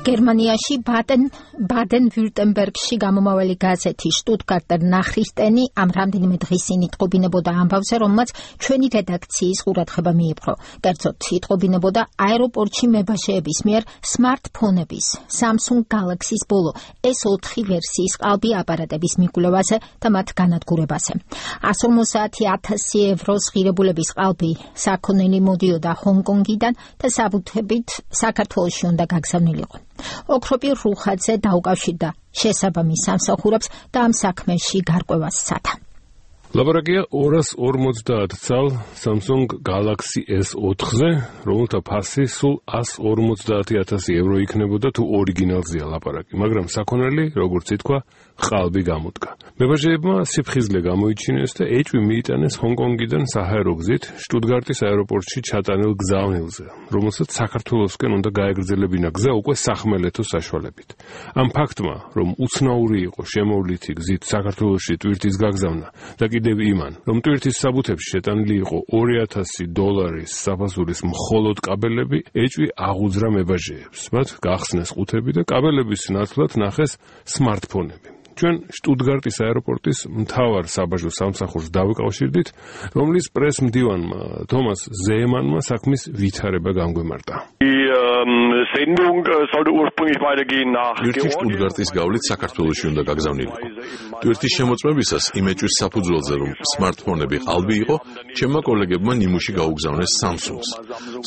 გერმანიაში ბადენ-ვიურტემბერგში გამომავალი გაზეთი შტუტგარტერ ნახრისტენი ამ რამდენიმე დღის წინ იტყობინებოდა ამბავზე, რომელმაც ჩვენი რედაქციის ყურადღება მიიპყრო. კერძოდ იტყობინებოდა აეროპორტში მებაშეების მიერ სმარტფონების Samsung Galaxy-ს ბოლო S4 ვერსიის ყალბი აპარატების მიკვლევაზე და მათ განადგურებაზე. 150,000 ევროს ღირებულების ყალბი საქონელი მოდიოდა ჰონგ-კონგიდან და საბუთებით საქართველოში უნდა გაგზავნილიყო. ოქროპირ რუხაძე დაუკავშირდა შესაბამის სამსახურებს და ამ საქმეში გარკვევას სცადა. ლაბორატორია 250 წალ Samsung Galaxy S4-ზე, რომელთა ფასი სულ 150,000 евро იქნებოდა თუ ორიგინალზეა ლაპარაკი, მაგრამ საქონელი, როგორც ითქვა, ყალბი გამოდგა. მებაჟეებმა სიფხიზლე გამოიჩინეს და ეჭვი მიიტანეს ჰონგ-კონგიდან საჰაერო გზით შტუტგარტის აეროპორტში ჩატანილ გზავნილზე, რომელსაც საქართველოსკენ უნდა გაეგრძელებინა გზა უკვე სახმელეთო საშუალებით. ამ ფაქტმა, რომ უცნაური იყო შემოვლითი გზით საქართველოში ტვირთის გაგზავნა და კიდევ იმან, რომ ტვირთის საბუთებში შეტანილი იყო $2,000 საფასურის მხოლოდ კაბელები, ეჭვი აღუძრა მებაჟეებს. მათ გახსნეს ყუთები და კაბელების ნაცვლად ნახეს სმარტფონები. ჩვენ შტუტგარტის აეროპორტის მთავარ საბაჟო სამსახურს დავიკავშირდით, რომლის პრესმდივანმა თომას ზეემანმა საქმის ვითარება განგვემართა. ტვირთის შტუტგარტის გავლით საქართველოში უნდა გაგზავნილიყო. ტვირთის შემოწმებისას იმეჭვის საფუძველზე, რომ სმარტფონები ყალბი იყო, ჩემმა კოლეგებმა ნიმუში გაუგზავნეს Samsung-ს.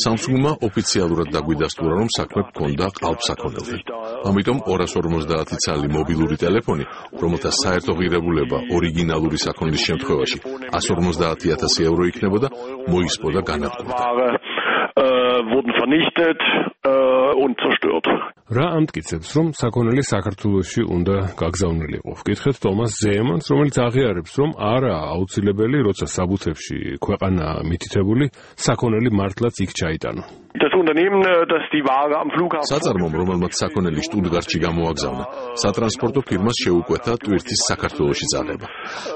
Samsung-მა ოფიციალურად დაგვიდასტურა, რომ საქმე გქონდა ყალბსაქონელზე. ამიტომ 250 წალი მობილური ტელეფონი, რომელთა საერთო ღირებულება ორიგინალური საქონლის შემთხვევაში 150,000 евро იქნებოდა, მოისპო და განადგურდა. wurden vernichtet und zerstört. რა ამტკიცებს, რომ საქონელი საქართველოში უნდა გაგზავნილიყო? ვკითხეთ თომას ზეემანს, რომელიც აღიარებს, რომ არაა აუცილებელი, როცა საბუთებში ქვეყანა მითითებული, საქონელი მართლაც იქ ჩაიტანო. Das Unternehmen, das die Ware am Flughafen საწარმომ, რომელმაც საქონელი შტუტგარტში გამოაგზავნა, სატრანსპორტო ფირმას შეუკვეთა ტვირთის საქართველოში წაღება.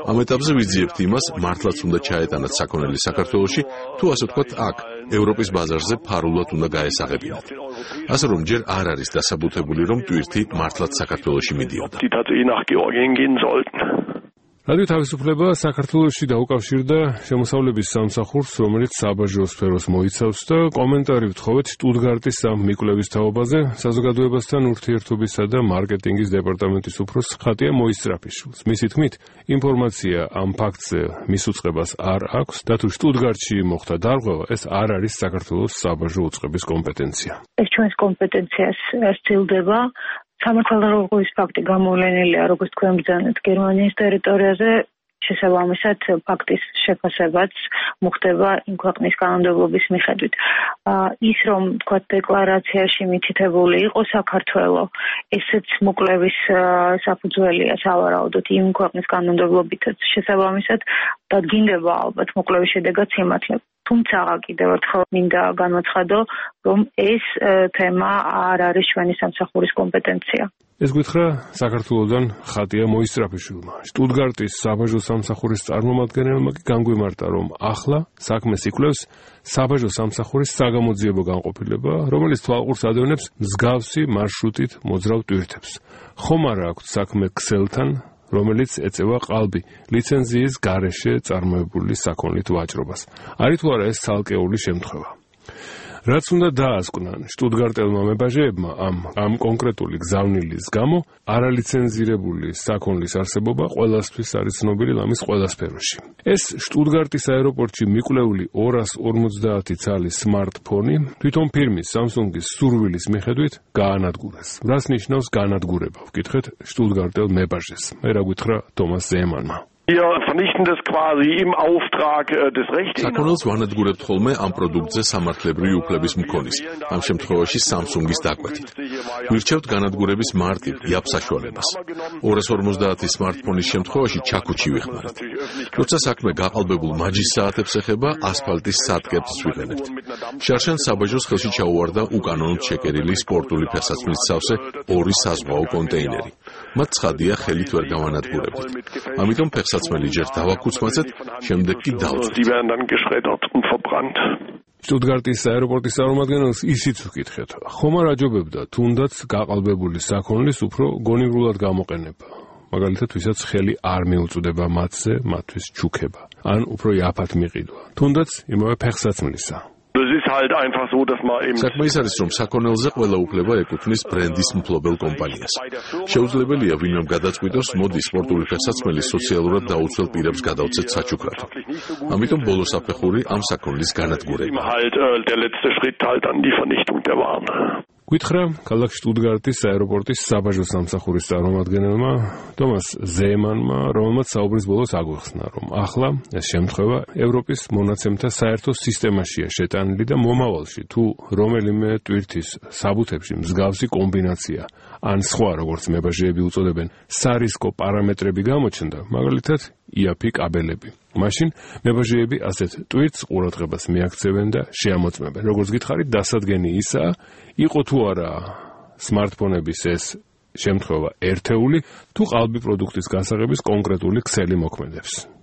ამ ეტაპზე ვიძიებთ იმას, მართლაც უნდა ჩაეტანათ საქონელი საქართველოში, თუ ასე ვთქვათ, აქ, ევროპის ბაზარზე ფარულად უნდა გაესაღებინათ. ასე რომ ჯერ არ არის დასაბუთებული, რომ ტვირთი მართლაც საქართველოში მიდიოდა. რადიო თავისუფლება საქართველოში დაუკავშირდა შემოსავლების სამსახურს, რომელიც საბაჟო სფეროს მოიცავს და კომენტარი ვთხოვეთ შტუტგარტის ამ მიკვლევის თაობაზე საზოგადოებასთან ურთიერთობისა და მარკეტინგის დეპარტამენტის უფროს ხატია მოისწრაფიშვილს. მისი თქმით, ინფორმაცია ამ ფაქტზე მის უწყებას არ აქვს და თუ შტუტგარტში მოხდა დარღვევა, ეს არ არის საქართველოს საბაჟო უწყების კომპეტენცია. ეს ჩვენს კომპეტენციას სცილდება. სამართალდამცველობის ფაქტი გამოვლენილია, როგორც თქვენ ბრძანეთ, გერმანიის ტერიტორიაზე, შესაბამისად ფაქტის შეფასებაც მოხდება იმ ქვეყნის კანონმდებლობის მიხედვით. ის რომ თქვა დეკლარაციაში მითითებული იყო საქართველო, ესეც მოკვლევის საფუძველია სავარაუდოდ იმ ქვეყნის კანონმდებლობითაც. შესაბამისად დადგინდება ალბათ მოკვლევის შედეგად სიმართლე. თუმცა კიდევ ერთხელ მინდა განვაცხადო, რომ ეს თემა არ არის ჩვენი სამსახურის კომპეტენცია. ეს გითხრა საქართველოდან ხატია მოისწრაფიშვილმა. შტუტგარტის საბაჟო სამსახურის წარმომადგენელმა კი განგვიმარტა, რომ ახლა საქმეს იკვლევს საბაჟო სამსახურის საგამოძიებო განყოფილება, რომელიც თვალყურს ადევნებს მსგავსი მარშრუტით მოძრავ ტვირთებს. ხომ არა აქვთ საქმე ქსელთან, რომელიც ეწევა ყალბი ლიცენზიის გარეშე წარმოებული საქონლით ვაჭრობას. არის თუ არა ეს ცალკეული შემთხვევა? რაც უნდა დაასკვნან შტუტგარტელმა მებაჟეებმა ამ კონკრეტული გზავნილის გამო არალიცენზირებული საქონლის არსებობა ყველასთვის არის ცნობილი ლამის ყველა სფეროში. ეს შტუტგარტის აეროპორტში მიკვლეული 250 წალი სმარტფონი თვითონ ფირმის Samsung-ის სურვილის მიხედვით გაანადგურეს. რას ნიშნავს განადგურება? ვკითხეთ შტუტგარტელ მებაჟეს. მე რა გითხრა თომას ზეემანმა. Wir vernichten das quasi im Auftrag des Rechts. საქონელს ვანადგურებთ ხოლმე ამ პროდუქტზე სამართლებრივი უფლების მქონის, ამ შემთხვევაში Samsung-ის დაკვეთით. ვირჩევთ განადგურების მარტივ, იაფ საშუალებას. 250 სმარტფონის შემთხვევაში ჩაქუჩი ვიხმართ. როცა საქმე გაყალბებულ მაჯის საათებს ეხება, ასფალტის სატკებს ვიყენებთ. შარშან საბაჟოს ხელში ჩაუვარდა უკანონოდ შეკერილი სპორტული ფეხსაცმლის სავსე 2 საზღვაო კონტეინერი. მათ ცხადია ხელით ვერ გავანადგურებდით. ამიტომ ფეხსაცმელი ჯერ დავაკუცმაცეთ, შემდეგ კი დავწვით. შტუტგარტის აეროპორტის წარმომადგენელს ისიც ვკითხეთ, ხომ არ აჯობებდა თუნდაც გაყალბებული საქონლის უფრო გონივრულად გამოყენება, მაგალითად ვისაც ხელი არ მიუწვდება მათზე მათთვის ჩუქება, ან უფრო იაფად მიყიდვა, თუნდაც იმავე ფეხსაცმლისა. Das ist halt einfach so, dass man eben საქმე ის არის, რომ საქონელზე ყველა უფლება ეკუთვნის ბრენდის მფლობელ კომპანიას. შეუძლებელია ვინმემ გადაწყვიტოს, მოდი სპორტული ფეხსაცმელი სოციალურად დაუცველ პირებს გადავცეთ საჩუქრად. ამიტომ ბოლო საფეხური ამ საქონლის განადგურება. halt der letzte Schritt halt an die Vernichtung der Waren. გითხრა ქალაქ შტუტგარტის აეროპორტის საბაჟო სამსახურის წარმომადგენელმა თომას ზეემანმა, რომელმაც საუბრის ბოლოს აგვიხსნა, რომ ახლა ეს შემთხვევა ევროპის მონაცემთა საერთო სისტემაშია შეტანილი და მომავალში თუ რომელიმე ტვირთის საბუთებში მსგავსი კომბინაცია ან სხვა, როგორც მებაჟეები უწოდებენ, სარისკო პარამეტრები გამოჩნდა, მაგალითად იაფი კაბელები. მაშინ მებაჟეები ასეთ ტვირთს ყურადღებას მიაქცევენ და შეამოწმებენ. როგორც გითხარით, დასადგენი ისაა, იყო თუ არა სმარტფონების ეს შემთხვევა ერთეული, თუ ყალბი პროდუქტის გასაღების კონკრეტული ქსელი მოქმედებს.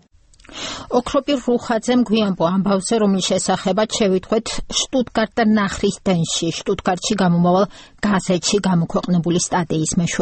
ოქროპირ რუხაძემ გვიანბო ამბავზე, რომლის შესახებაც შევიტყვეთ შტუტგარტ და ნახრისდენში, შტუტგარტში გამომავალ გაზეთში გამოქვეყნებული სტატიის მეშვეობით.